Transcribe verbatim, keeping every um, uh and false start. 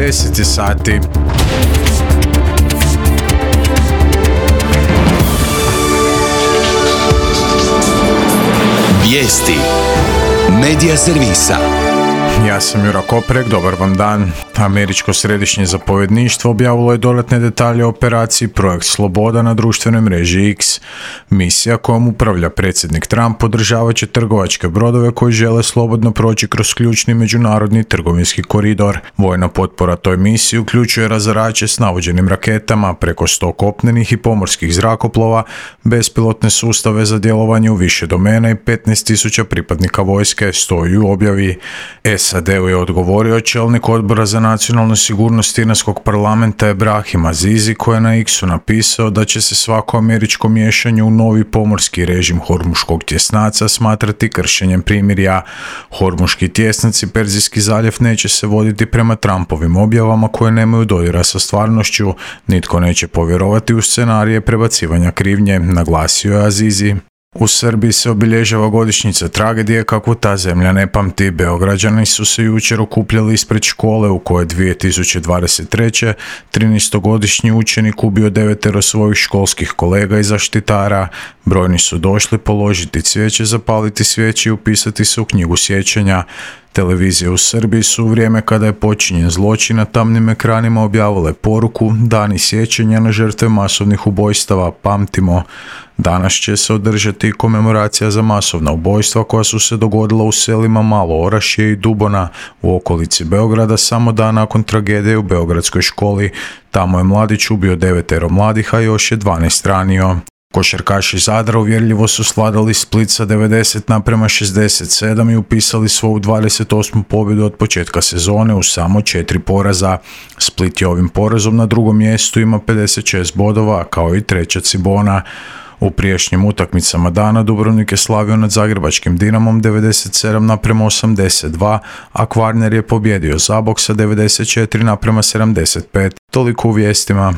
deset sati. Vijesti Medija servisa. Ja sam Jura Koprek, dobar vam dan. Američko središnje zapovjedništvo objavilo je dodatne detalje o operaciji Projekt Sloboda na društvenoj mreži X. Misija kojom upravlja predsjednik Trump podržavat će trgovačke brodove koji žele slobodno proći kroz ključni međunarodni trgovinski koridor. Vojna potpora toj misiji uključuje razarače s navođenim raketama, preko sto kopnenih i pomorskih zrakoplova, bespilotne sustave za djelovanje u više domena i petnaest tisuća pripadnika vojske, stoji u objavi. S A D-u je odgovorio čelnik odbora za nacionalnu sigurnost Iranskog parlamenta Ebrahim Azizi, koji je na X-u napisao da će se svako američko miješanje u novi pomorski režim Hormuškog tjesnaca smatrati kršenjem primirja. Hormuški tjesnac i Perzijski zaljev neće se voditi prema Trumpovim objavama koje nemaju dodira sa stvarnošću. Nitko neće povjerovati u scenarije prebacivanja krivnje, naglasio je Azizi. U Srbiji se obilježava godišnjica tragedije kakvu ta zemlja ne pamti. Beograđani su se jučer okupljali ispred škole u kojoj dvije tisuće dvadeset treće. trinaestogodišnji učenik ubio devetero svojih školskih kolega i zaštitara. Brojni su došli položiti cvijeće, zapaliti svijeće i upisati se u knjigu sjećanja. Televizije u Srbiji su u vrijeme kada je počinjen zločin na tamnim ekranima objavile poruku Dani sjećanja na žrtve masovnih ubojstava, pamtimo. Danas će se održati komemoracija za masovna ubojstva koja su se dogodila u selima Malo Orašje i Dubona u okolici Beograda samo dan nakon tragedije u beogradskoj školi. Tamo je mladić ubio devetero mladih, a još je dvanaest ranio. Košarkaši Zadra uvjerljivo su svladali Split sa devedeset naprema šezdeset sedam i upisali svoju dvadeset osmu pobjedu od početka sezone u samo četiri poraza. Split je ovim porazom na drugom mjestu, ima pedeset šest bodova, kao i treća Cibona. U prijašnjim utakmicama dana Dubrovnik je slavio nad zagrebačkim Dinamom devedeset sedam naprema osamdeset dva, a Kvarner je pobjedio Zabok sa devedeset četiri naprema sedamdeset pet. Toliko u vijestima.